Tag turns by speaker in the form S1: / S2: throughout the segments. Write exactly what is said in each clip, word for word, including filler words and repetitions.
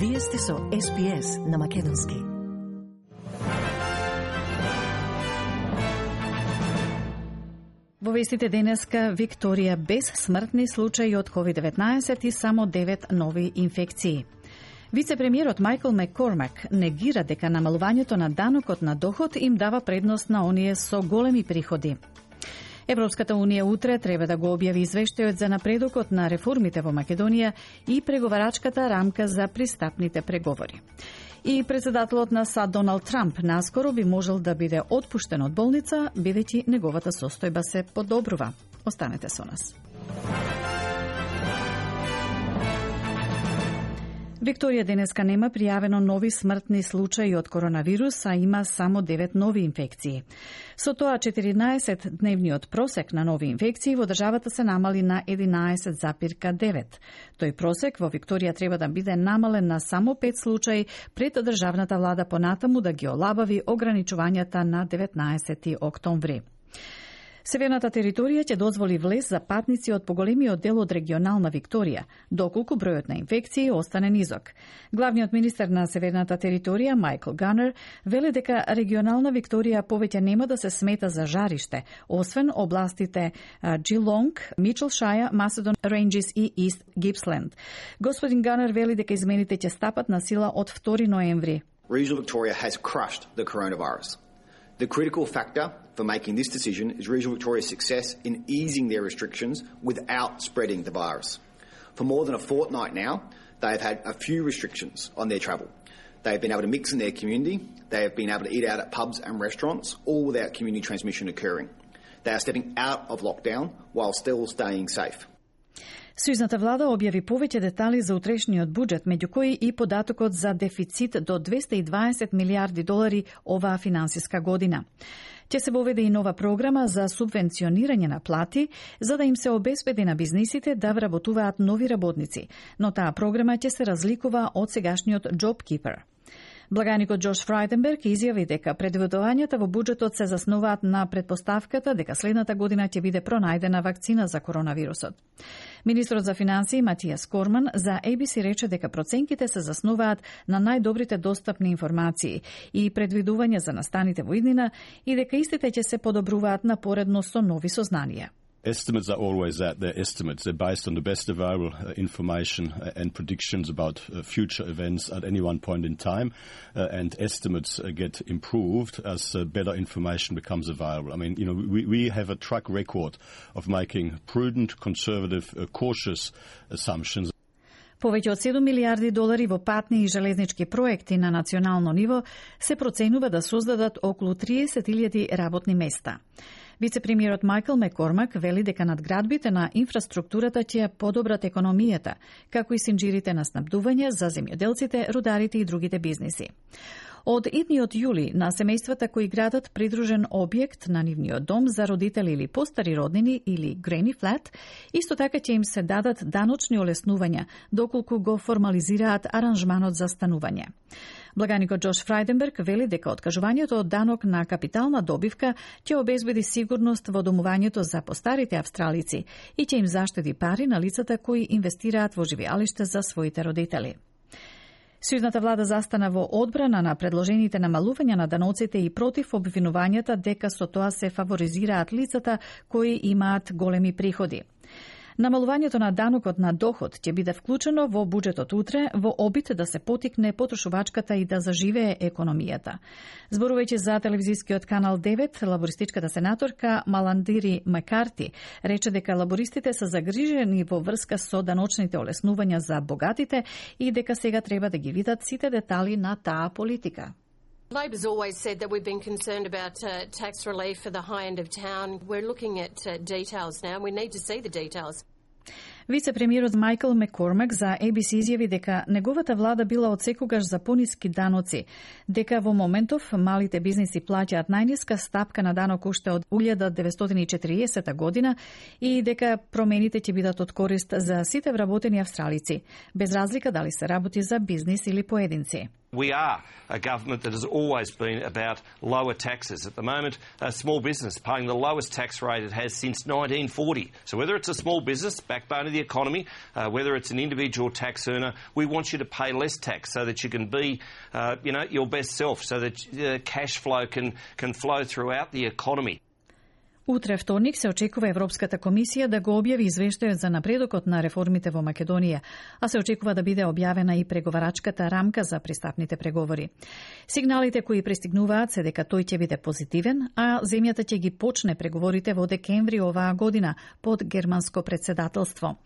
S1: Вие сте со Ес Би Ес на македонски. Во вестите денеска Викторија без смртни случаи од ковид деветнаесет и само девет нови инфекции. Вице-премиерот Майкл Маккормак негира дека намалувањето на данокот на доход им дава предност на оние со големи приходи. Европската унија утре треба да го објави извештајот за напредокот на реформите во Македонија и преговарачката рамка за пристапните преговори. И председателот на САД Доналд Трамп наскоро би можел да биде отпуштен од болница, бидејќи неговата состојба се подобрува. Останете со нас. Викторија денеска нема пријавено нови смртни случаи од коронавирус, а има само девет нови инфекции. Со тоа четиринаесет-дневниот просек на нови инфекции во државата се намали на единаесет запирка девет. Тој просек во Викторија треба да биде намален на само пет случаи пред државната влада понатаму да ги олабави ограничувањата на деветнаесети октомври. Северната територија ќе дозволи влез за патници од поголемиот дел од регионална Викторија, доколку бројот на инфекции остане низок. Главниот министер на Северната територија, Майкл Ганер, вели дека регионална Викторија повеќе нема да се смета за жариште, освен областите Джилонг, Мичелшаја, Macedon Ranges и East Gippsland. Господин Ганер вели дека измените ќе стапат на сила од втори ноември.
S2: Regional Victoria has crushed the coronavirus. The critical factor for making this decision is Regional Victoria's success in easing their restrictions without spreading the virus. For more than a fortnight now, they have had a few restrictions on their travel. They have been able to mix in their community, they have been able to eat out at pubs and restaurants, all without community transmission occurring. They are stepping out of lockdown while still staying safe.
S1: Сојузната влада објави повеќе детали за утрешниот буџет, меѓу кои и податокот за дефицит до двесте и дваесет милиарди долари оваа финансиска година. Ќе се воведе и нова програма за субвенционирање на плати, за да им се обезбеди на бизнисите да вработуваат нови работници, но таа програма ќе се разликува од сегашниот JobKeeper. Благаникот Джош Фрајденберг изјави дека предвидувањата во буџетот се заснуваат на предпоставката дека следната година ќе биде пронајдена вакцина за коронавирусот. Министрот за финансии Матијас Корман за Ей Би Си рече дека проценките се заснуваат на најдобрите достапни информации и предвидување за настаните во иднина и дека истите ќе се подобруваат напоредно со нови сознанија.
S3: Estimates are always that. They're estimates. They're based on the best available uh, information uh, and predictions about uh, future events at any one point in time. Uh, and estimates uh, get improved as uh, better information becomes available. I mean, you know, we, we have a track record of making prudent, conservative, uh, cautious assumptions.
S1: Повеќе од седум милиарди долари во патни и железнички проекти на национално ниво се проценува да создадат околу триесет илјади работни места. Вице-премиерот Майкл Маккормак вели дека надградбите на инфраструктурата ќе подобрат економијата, како и синџирите на снабдување за земјоделците, рударите и другите бизниси. Од идниот јули на семејствата кои градат придружен објект на нивниот дом за родители или постари роднини или Granny Flat, исто така ќе им се дадат даночни олеснувања доколку го формализираат аранжманот за станување. Благаникот Джош Фрајденберг вели дека откажувањето од данок на капитална добивка ќе обезбеди сигурност во домувањето за постарите австралици и ќе им заштеди пари на лицата кои инвестираат во живеалиште за своите родители. Сојузната влада застана во одбрана на предложените намалувања на даноците и против обвинувањата дека со тоа се фаворизираат лицата кои имаат големи приходи. Намалувањето на данокот на доход ќе биде вклучено во буџетот утре во обид да се потикне потрошувачката и да заживее економијата. Зборувајќи за телевизискиот канал девет, лабористичката сенаторка Маландири Макарти рече дека лабористите се загрижени во врска со даночните олеснувања за богатите и дека сега треба да ги видат сите детали на таа политика.
S4: Labor's always said that we've been concerned about uh, tax relief for the high end of town. We're looking at uh, details now. We need to see the details.
S1: Вице-премиерот Майкл Маккормак за Ей Би Си изјави дека неговата влада била од секогаш за пониски даноци, дека во моментов малите бизниси плаќаат најниска стапка на данок уште од илјада деветстотини и четириесета година и дека промените ќе бидат од корист за сите вработени австралици, без разлика дали се работи за бизнис или поединци.
S5: We are a government that has always been about lower taxes. At the moment, a small business paying the lowest tax rate it has since nineteen forty. So whether it's a small business, backbone of the economy, uh, whether it's an individual tax earner, we want you to pay less tax so that you can be, uh, you know, your best self, so that uh, cash flow can, can flow throughout the economy.
S1: Утре вторник се очекува Европската комисија да го објави извештајот за напредокот на реформите во Македонија, а се очекува да биде објавена и преговарачката рамка за пристапните преговори. Сигналите кои пристигнуваат се дека тој ќе биде позитивен, а земјата ќе ги почне преговорите во декември оваа година под германско председателство.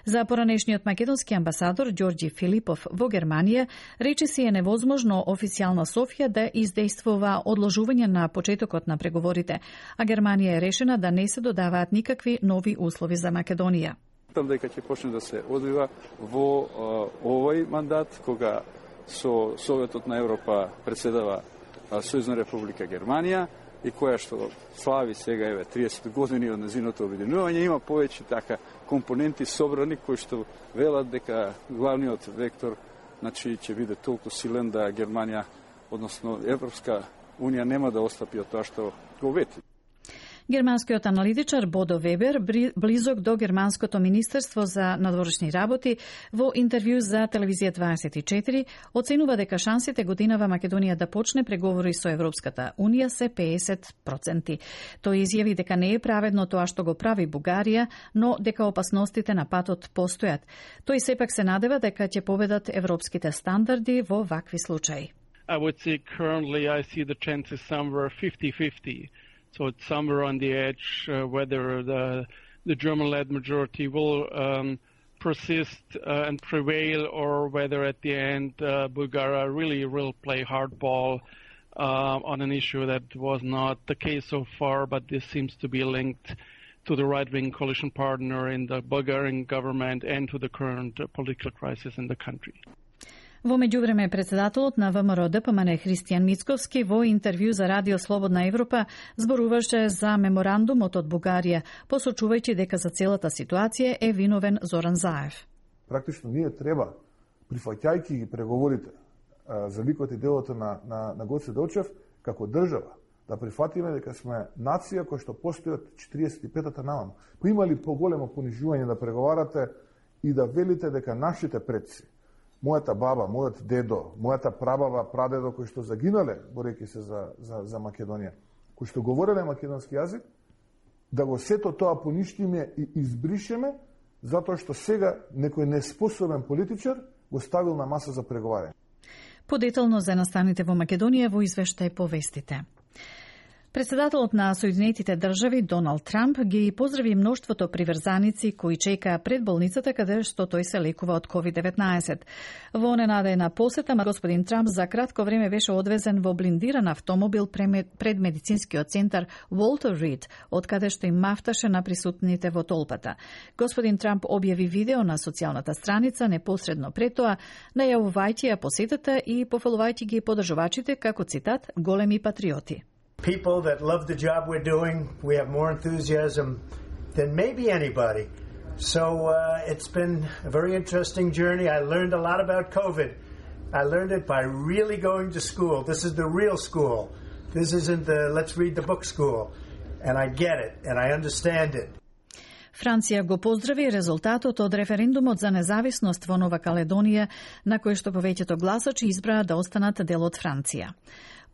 S1: За поранешниот македонски амбасадор Ѓорѓи Филипов во Германија рече си е невозможно официјална Софија да издействува одложување на почетокот на преговорите, а Германија е решена да не се додаваат никакви нови услови за Македонија.
S6: Мислам дека ќе почне да се одвива во а, овој мандат, кога со Советот на Европа председава Сојузна република Германија и која што слави сега еве триесет години од незиното обединување, има повеќе така компоненти собрани кои што велат дека главниот вектор, значи, ќе биде толку силен да Германија, односно Европска унија, нема да отстапи од тоа што го вети.
S1: Германскиот аналитичар Бодо Вебер, близок до Германското министерство за надворешни работи, во интервју за телевизија дваесет и четири, оценува дека шансите годинава Македонија да почне преговори со Европската унија се педесет проценти. Тој изјави дека не е праведно тоа што го прави Бугарија, но дека опасностите на патот постојат. Тој сепак се надева дека ќе победат европските стандарди во вакви случаи.
S7: I would say currently I see the chances somewhere fifty fifty. So it's somewhere on the edge uh, whether the, the German-led majority will um, persist uh, and prevail, or whether at the end uh, Bulgaria really will play hardball uh, on an issue that was not the case so far, but this seems to be linked to the right-wing coalition partner in the Bulgarian government and to the current uh, political crisis in the country.
S1: Во меѓувреме, председателот на ВМРО Д П М Н Христијан Мицковски во интервју за Радио Слободна Европа зборуваше за меморандумот од Бугарија, посочувајќи дека за целата ситуација е виновен Зоран Заев.
S8: Практично ние треба, прифаќајќи ги преговорите за ликот и делото на, на, на Гоце Делчев, како држава, да прифатиме дека сме нација која што постои од четириесет и петата наваму. Кој имали поголемо понижување да преговарате и да велите дека нашите предци, мојата баба, мојот дедо, мојата прабаба, прадедо кои што загинале борејќи се за, за, за Македонија, кои што говореле македонски јазик, да го сето тоа поништиме и избришеме, затоа што сега некој неспособен политичар го ставил на маса за преговарање.
S1: Подетално за настаните во Македонија во извештај по вестите. Председателот на Соединетите држави Доналд Трамп ги поздрави мноштвото приврзаници кои чекаа пред болницата каде што тој се лекува од ковид деветнаесет. Во ненадејна посета, господин Трамп за кратко време беше одвезен во блиндиран автомобил пред медицинскиот центар Walter Reed, од каде што им мафташе на присутните во толпата. Господин Трамп објави видео на социјалната страница непосредно пред тоа, најавувајќи ја посетата и пофалувајќи ги поддржувачите како, цитат, големи патриоти.
S9: People that love the job we're doing, we have more enthusiasm than maybe anybody. So uh, it's been a very interesting journey. I learned a lot about COVID. I learned it by really going to school. This is the real school. This isn't the let's read the book school. And I get it, and I understand it.
S1: Франција го поздрави резултатот од референдумот за независност во Нова Каледонија, на кој што повеќето гласачи избраа да останат дел од Франција.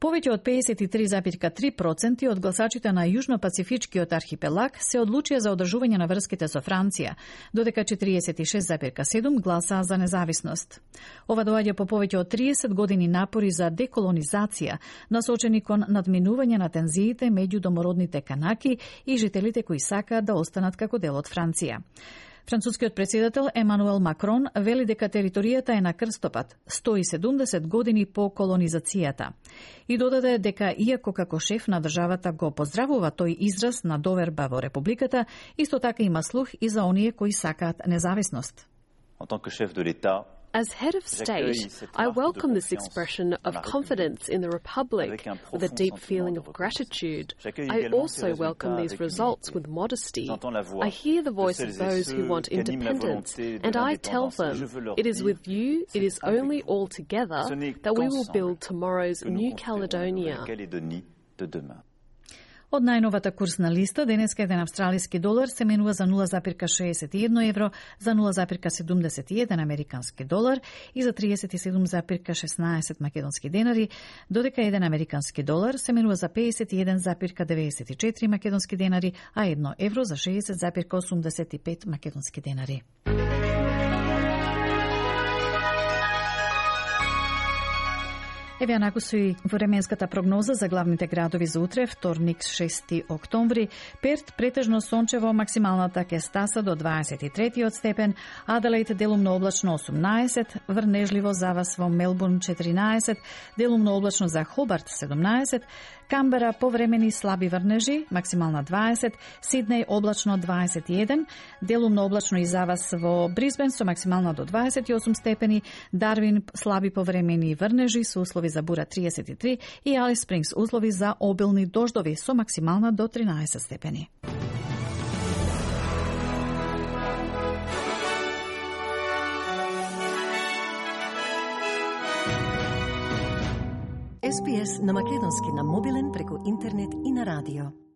S1: Повеќе од педесет и три зарез и три проценти од гласачите на Јужно-Пацифичкиот архипелаг се одлучија за одржување на врските со Франција, додека четириесет и шест зарез и седум гласаа за независност. Ова доаѓа по повеќе од триесет години напори за деколонизација, насочени кон надминување на тензиите меѓу домородните канаки и жителите кои сакаат да останат како дел од Франција. Францускиот председател Емануел Макрон вели дека територијата е на крстопат, сто и седумдесет години по колонизацијата. И додаде дека иако како шеф на државата го поздравува тој израз на доверба во републиката, исто така има слух и за оние кои сакаат независност.
S10: En tant que chef de l'État, As head of state, I welcome this expression of confidence in the Republic with a deep feeling of gratitude. I also welcome these results with modesty. I hear the voice of those who want independence, and I tell them, it is with you, it is only all together that we will build tomorrow's New Caledonia.
S1: Од најновата курсна листа, денеска еден австралиски долар се менува за нула запирка шеесет и едно евро, за нула запирка седумдесет и еден американски долар и за триесет и седум запирка шеснаесет македонски денари, додека еден американски долар се менува за пеесет и еден запирка деветдесет и четири македонски денари, а едно евро за шеесет запирка осумдесет и пет македонски денари. Еве анаку су и временската прогноза за главните градови за утре, вторник, шести октомври. Перт претежно сончево, максималната ќе стаса до дваесет и трети степен, Аделаид делумно облачно осумнаесет, врнежливо за вас во Мелбурн четиринаесет, делумно облачно за Хобарт седумнаесет, Камбера повремени слаби врнежи, максимална дваесет, Сиднеј облачно дваесет и еден, делумно облачно и за вас во Брисбен со максимална до дваесет и осум степени, Дарвин слаби повремени врнежи со услови за бура триесет и три и Алис Спрингс услови за обилни дождови со максимална до тринаесет степени.
S11: Ес Би Ес на македонски на мобилен преку интернет и на радио.